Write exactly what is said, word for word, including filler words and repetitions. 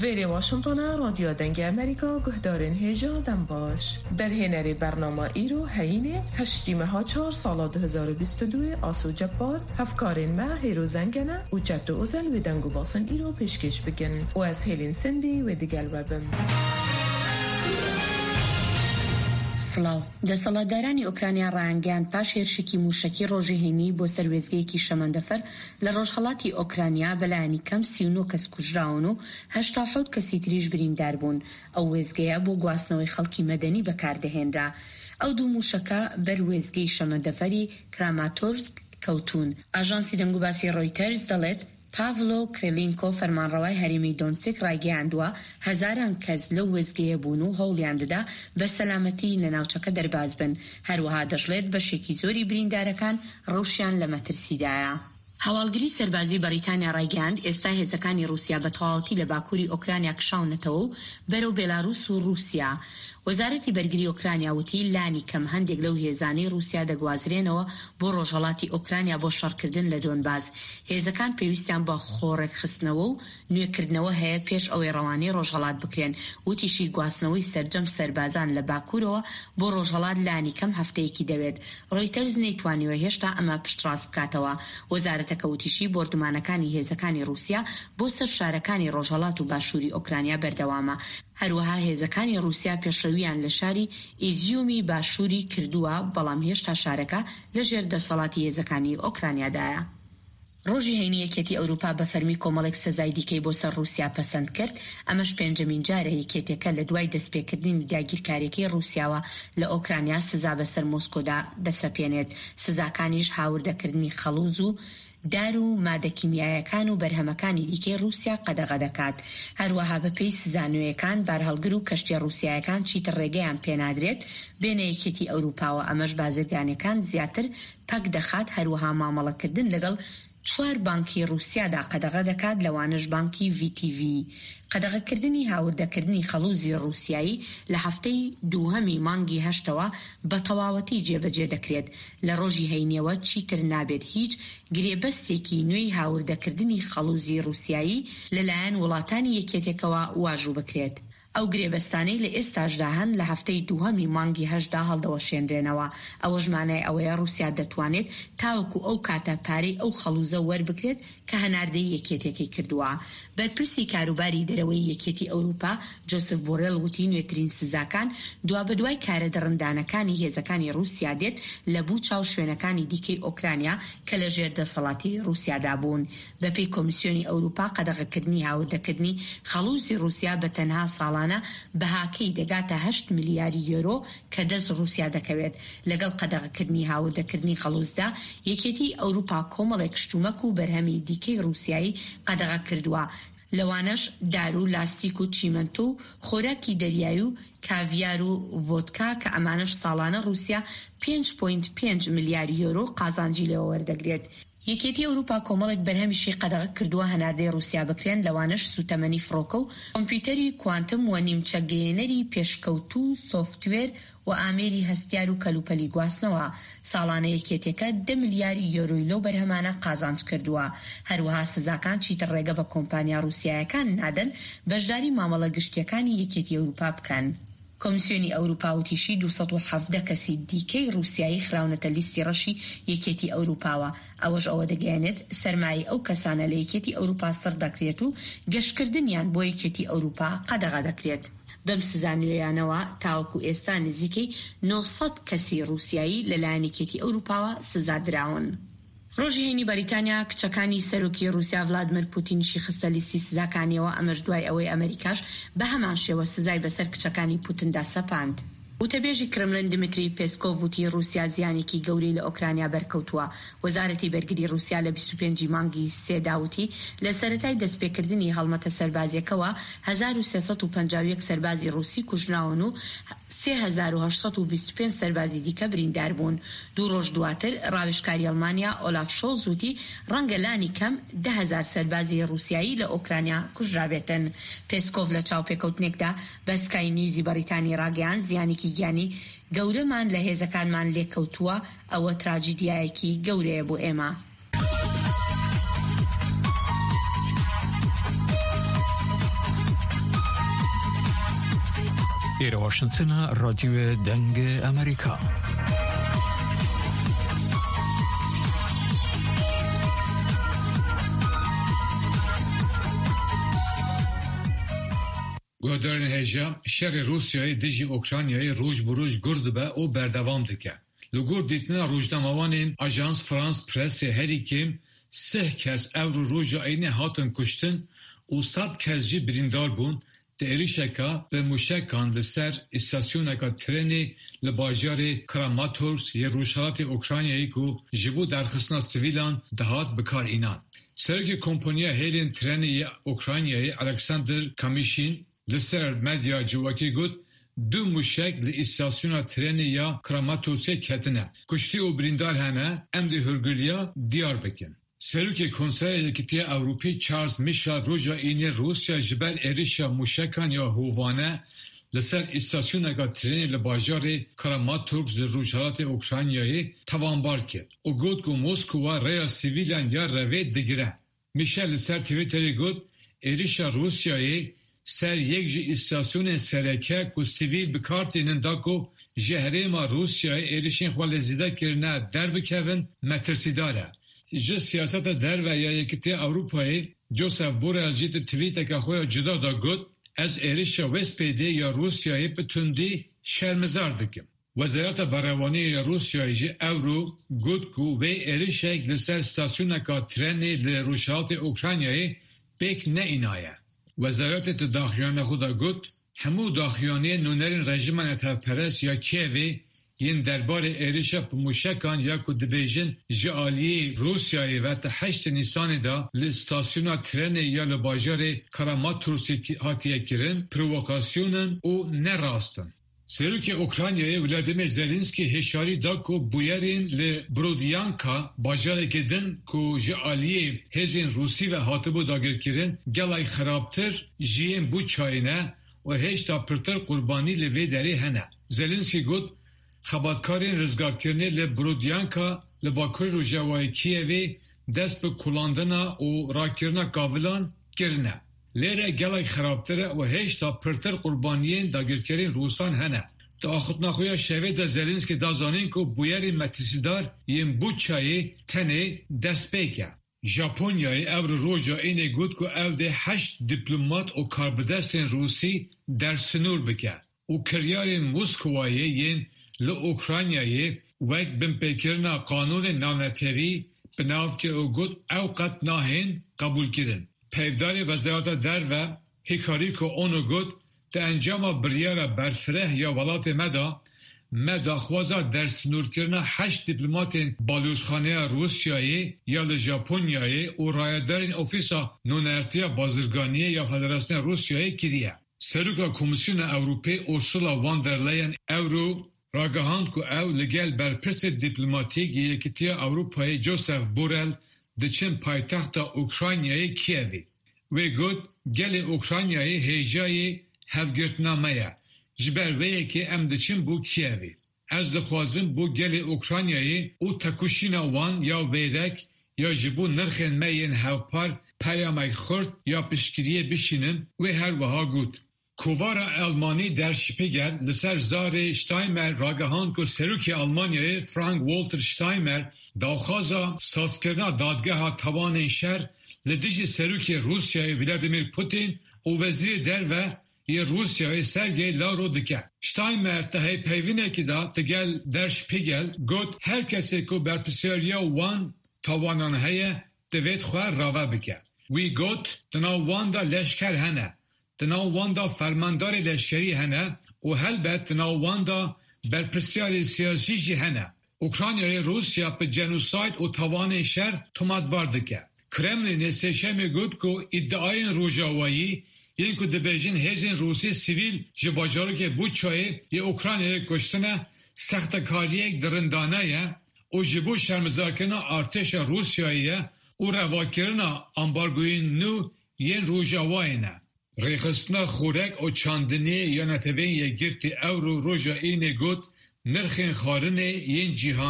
Vêrê Washington e, Radyo Dengê Amerîka, guhdarên hêja, dem baş. Derhênerê bernama îro heyînê, heştî meha çar sala du hezar û bîst û duyê, Aso Ceppar, hevkarên me Hêro Zengene û Çeto Ozel wê deng û basin îro pêşkêş bikin û ez Hêlîn Sindî wê digel we bim. سڵاو. دەسەڵاتدارانی ئۆکرانیا ڕایانگەیاند پاش هێرشێکی موشەکی ڕۆژی هەینی بۆ سەر وێزگەیەکی شەمەندەفەر لە ڕۆژهەڵاتی ئۆکرانیا بەلایەنی کەم سی و نۆ کەس کوژراون و هەشتا و حەوت کەسی تریش بریندار بوون. ئەو وێزگەیە بۆ گواستنەوەی خەڵکی مەدەنی بەکاردەهێنرا. ئەو دوو موشەکە بەر وێزگەی شەمەندەفەری کراماتۆرسک کەوتون. ئاژانسی دەنگوباسی ڕۆیتەرز دەڵێت پاڤلۆ کرێلینکۆ، فەرمانڕەوای هەرێمی دۆنسک، ڕایگەیاندووە هەزاران کەس لەو وێزگەیە بوون و هەوڵیان دەدا بە سەلامەتی لە ناوچەکە دەرباز بن. هەروەها دەشڵێت بەشێکی زۆری بریندارەکان ڕەوشیان لە مەترسیدایە. هەواڵگری سەربازی بەریتانیا ڕایگەیاند ئێستا هێزەکانی رووسیا بە تەواوەتی لە باکووری ئۆکرانیا کشاونەتەوە و بەرەو بێلارووس و رووسیا. وەزارەتی بەرگری ئۆکرانیا وتی لانی کەم هەندێک لەو هێزانەی رووسیا دەگوازرێنەوە بۆ ڕۆژهەڵاتی ئۆکرانیا بۆ شەڕکردن لە دۆنباس. هێزەکان پێویستیان بە خۆڕێکخستنەوە و نوێکردنەوە هەیە پێش ئەوەی ڕەوانەی ڕۆژهەڵات بکرێن. وتیشی گواستنەوەی سەرجەم سەربازان لە باکوورەوە بۆ ڕۆژهەڵات لانی کەم هەفتەیەکی دەوێت. ڕۆیتەرز نەیتوانیوە هێشتا ئەمە پشتڕاست بکاتەوە. وەزارەتەکە وتیشی بۆردومانەکانی هێزەکانی رووسیا بۆ سەر شارەکانی ڕۆژهەڵات و باشووری ئۆکرانیا بەردەوامە. هەروەها هێزەکانی رووسیا پێشڕەویان لە شاری ئیزیومی باشووری کردووە، بەڵام هێشتا شارەکە لە ژێر دەسەڵاتی هێزەکانی ئۆکرانیادایە. ڕۆژی هەینی یەکێتی ئەوروپا بە فەرمی کۆمەڵێک سزای دیکەی بۆ سەر رووسیا پەسەند کرد. ئەمەش پێنجەمین جارە یەکێتەکە لە دوای دەستپێکردنی داگیرکاریەکەی رووسیاوە لە ئۆکرانیا سزا بەسەر مۆسکۆدا دەسەپێنێت. سزاکانیش هاوردەکردنی خەڵوز و دار و مادە کیمیایەکان و بەرهەمەکانی دیکەی رووسیا قەدەغە دەکات. هەروەها بە پێی سزا نوێیەکان، بارهەڵگر و کەشتیە رووسیایەکان چیتر ڕێگەیان پێنادرێت بێنە یەکێتی ئەوروپاوە. ئەمەش بازرگانەکان زیاتر پەک دەخات، هەروەها مامەڵەکردن لەگەڵ چوار بانکی رووسیادا قەدەغە دەکات، لەوانەش بانکی V T V. قەدەغەکردنی هاوردەکردنی خەڵوزی رووسیایی لە هەفتەی دووهەمی مانگی هەشتەوە بە تەواوەتی جێبەجێ دەکرێت. لە ڕۆژی هەینیەوە چیتر نابێت هیچ گرێبەستێکی نوێی هاوردەکردنی خەڵوزی رووسیایی لەلایەن وڵاتانی یەکێتێکەوە واژوو بکرێت. ئەو گرێبەستانەی لە ئێستاشدا هەن لە هەفتەی دووهەمی مانگی هەشتدا هەڵدەوەشێنرێنەوە. ئەوەش مانای ئەوەیە رووسیا دەتوانێت تاوەکو ئەو کاتە پارەی ئەو خەڵوزە وەربگرێت کە هەناردەی یەکێتەکەی کردووە. بەرپرسی کاروباری دەرەوەی یەکێتی ئەوروپا، جۆسف بۆرێل، وتی نوێترین سزاکان دوا بە دوای کارە دڕندانەکانی هێزەکانی رووسیا دێت لە بوچا و شوێنەکانی دیکەی ئۆکرانیا کە لە ژێر دەسەڵاتی رووسیادا بوون. بە پێی کۆمیسیۆنی ئەوروپا، قەدەغەکردنی هاوردەکردنی خەڵوزی رووسیا بە تەنها ساڵانە بەهاکەی دەگاتە هەشت ملیار یۆرۆ کە دەست رووسیا دەکەوێت. لەگەڵ قەدەغەکردنی هاوردەکردنی خەڵوزدا، یەکێتی ئەوروپا کۆمەڵێک شتومەک و بەرهەمی دیکەی رووسیایی قەدەغە کردووە. لەوانەش دار و لاستیک و چیمەنتۆ و خۆراکی دەریایی و کاڤیار و ڤۆدکا کە ئەمانەش ساڵانە رووسیا پێنج پۆینت پێنج ملیار یۆرۆ قازانجی لێوە وەردەگرێت. یەکێتی ئەوروپا کۆمەڵێک بەرهەمیشی قەدەغە کردووە هەناردەی رووسیا بکرێن، لەوانەش سووتەمەنی فڕۆکە و کۆمپیوتەری کوانتم و نیمچە گەیەنەری پێشکەوتوو، سۆفتوێر و ئامێری هەستیار و کەلوپەلی گواستنەوە. ساڵانە یەکێتەکە دە ملیار یۆرۆی لەو بەرهەمانە قازانج کردووە. هەروەها سزاکان چیتر ڕێگە بە کۆمپانیا رووسیایەکان نادەن بەشداری مامەڵە گشتیەکانی یەکێتی ئەوروپا بکەن. کۆمیسیۆنی ئەوروپا وتیشی دوو سەد و حەڤدە کەسی دیکەی رووسیایی خراونەتە لیستی ڕەشی یەکێتی ئەوروپاوە. ئەوەش ئەوە دەگەیەنێت سەرمایەی ئەو کەسانە لە یەکێتی ئەوروپا سڕ دەکرێت و گەشتکردنیان بۆ یەکێتی ئەوروپا قەدەغە دەکرێت. بەم سزا نوێیانەوە تاوەکو ئێستا نزیکەی نۆ سەد کەسی رووسیایی لەلایەن یەکێتی ئەوروپاوە سزا دراون. ڕۆژی هەینی بەریتانیا کچەکانی سەرۆکی رووسیا ڤلادمیر پوتینشی خستە لیستی سزاکانیەوە، ئەمەش دوای ئەوەی ئەمریکاش بە هەمان شێوە سزای بەسەر کچەکانی پوتندا سەپاند. وتەبێژی کرملین دمیتری پێسکۆڤ وتی رووسیا زیانێکی گەورەی لە ئۆکرانیا بەرکەوتووە. وەزارەتی بەرگری رووسیا لە بیست و پێنجی مانگی سێدا وتی لە سەرەتای دەستپێکردنی هەڵمەتە سەربازیەکەوە هەزار و سێ سەد و پەنجا و یەک سەربازی رووسی کوژراون و سێ هەزار و هەشت سەد و بیست و پێنج سەربازی دیکە بریندار بوون. دوو ڕۆژ دواتر، ڕاوێژکاری ئەڵمانیا ئۆلاف شۆڵز وتی ڕەنگە لانی کەم دە هەزار سەربازی ڕووسیایی لە ئۆکرانیا کوژرابێتن. پێسکۆڤ لە چاوپێکەوتنێکدا بە سکای نیوزی بەریتانی ڕاگەیاند، زیانێکی گیانی گەورەمان لە هێزەکانمان لێکەوتووە، ئەوە تراجیدیایەکی گەورەیە بۆ ئێمە. Êre Washington, Radyoya Dengê Amerîka. Guhdarên hêja, şerê Rûsyayê dijî Ukraynayê roj bi roj gur dibe û berdewam dike. Li gor dîtina rojnamewanên Ajans France Presse, herî kêm sih kes ewro roja Înê hatin kuştin û sed kes jî birîndar bûn di êrişeka bi mûşekan li ser îstasyoneka trenê li bajarê Kramatorsk yê rojhilatê Ukraynayê ku ji bo derxistina sivîlan dihat bi kar înan. Serokê kompaniya hêlên trenê ya Ukraynayê Alexander Kamîşîn li ser medya civakî got, du mûşek li îstasyona trenê ya Kramatorsê ketine. Kuştî û birîndar hene, em dê hûrgiliya diyar bikin. Serokê Konseya Yekîtiya Ewropî Charles Michel roja Înê Rûsya ji ber êrişa mûşekan ya hovane li ser îstasyoneka trenê li bajarê Kramatorsk ji rojhilatê Ukraynayê tawanbar kir û got ku Moskwa rêya sivîlan ya revê digire. Michel li ser Twitterê got, êrişa Rûsyayê ser yek ji îstasyonên sereke ku sivîl bi kar tînin da ku ji herêma Rûsyayê êrişên xwe li zêde kirine derbikevin, metirsîdar e. Ji siyaseta derve ya Yekîtiya Ewropayê Josep Borrell jî di twîteke xwe ya cuda de got, ez êrişa wê spêdê ya Rûsyayê bi tundî şermizar dikim. Wezareta Berewaniyê ya Rûsyayê jî ewro got ku wê êrişek li ser stasyoneka trenê li rojhilatê Ukraynayê pêk neînaye. Wezaretê di daxuyana xwe de got, hemû daxuyaniyên nûnerên rejîma netewperest ya Kiyevê yên derbarê êrişa bi mûşekan ya ku dibêjin ji aliyê Rûsyayê ve di heştê Nîsanê de li stasyona trenê ya li bajarê Kramatorsê ki-, hatiye kirin, provokasyon in û ne rast in. Serokê Ukraynayê Volodymyr Zelensky hişyarî da ku bûyerên li Borodyanka, bajarekî din ku ji aliyê hêzên Rûsî ve hatibû dagirkirin, gelek xirabtir ji yên Buçayê ne û hêşta pirtir qurbanî li vê derê hene. Zelensky got, xebatkarên rizgarkirinê li Borodyanka li bakur rojavayê Kiyevê dest bi kulandina û rakirina kavilan kirine. Lê re gelek xirabtir e û hêşta pirtir qurbaniyên dagirkerên Rûsan hene. Di axiftina xwe ya şevê de Zelensky da zanîn ku bûyerên metirsîdar yên Buçayê tenê destpêk e. Japonyayê ewro roja Înê got ku ew dê heşt dîplomat û karbidestên Rûsî dersinûr bike û kiryarên Moskwayê yên li Ukraynayê wek binpêkirina qanûnên navnetewî bi nav kir û got, ew qet nahên qebûlkirin. Peyvdarê Wezareta Derve Hikariko Ono got, di encama biryara berfireh ya welatê me de, me daxwaza dersinûrkirina heşt dîplomatên balozxaneya Rûsyayê ya li Japonyayê û rayedarên Ofîsa Nûnertiya Bazirganiyê ya Federasyona Rûsyayê kiriye. Seroka Komîsyona Ewropê Ursula von der Leyen ewro ragihand ku ew li gel berpirsê dîplomatîk yê Yekîtiya Ewropayê Josep Borrell diçin paytexta Ukraynayê Kiyevê. Wê got, gelê Ukraynayê hêjayê hevgirtina me ye. Ji ber vê yekê em diçin bo Kiyevê. Ez dixwazim bo gelê Ukraynayê û tekoşîna wan ya vêrek ya ji bo nirxên me yên hevpar peyamek xurt ya piştgiriyê bişînim, wê her wiha got. Kovara Elmanî Der Spiegel li ser zarê Steinmeier ragihand ku serokê Almanyayê Frank-Walter Steinmeier daxwaza sazkirina dadgeha tawanên şer li dijî serokê Rûsyayê Vladimir Putin û Wezîrê Derve yê Rûsyayê Sergey Lavrov dike. Steinmeier di hevpeyvînekî de digel Der Spiegel got, her kesê ku berpirsyariya wan tawanan heye, divêt xwe rave bike. Wî got, di nav wan de leşker hene, di nav wan de fermandarê leşkerî hene û helbet di nav wan de berpirsyarê siyasî jî hene. Ukraynayê Rûsya bi genosayd û tawanên şer tomatbar dike. Kremlînê Sêşemê got ku îdiayên Rojavayî yên ku dibêjin hêzên Rûsî sivîl ji bajarokê Buçayê yê Ukraynayê kuştine, sextekariyek dirindane ye û ji bo şermizarkirina artêşa Rûsyayê ye û revakirina ambargoyên nû yên Rojavayê ne. Rêxistina Xorek û Çandiniyê ya Neteweyên Yekgirtî ewro roja Înê got, nirxên xwarinê yên cîhan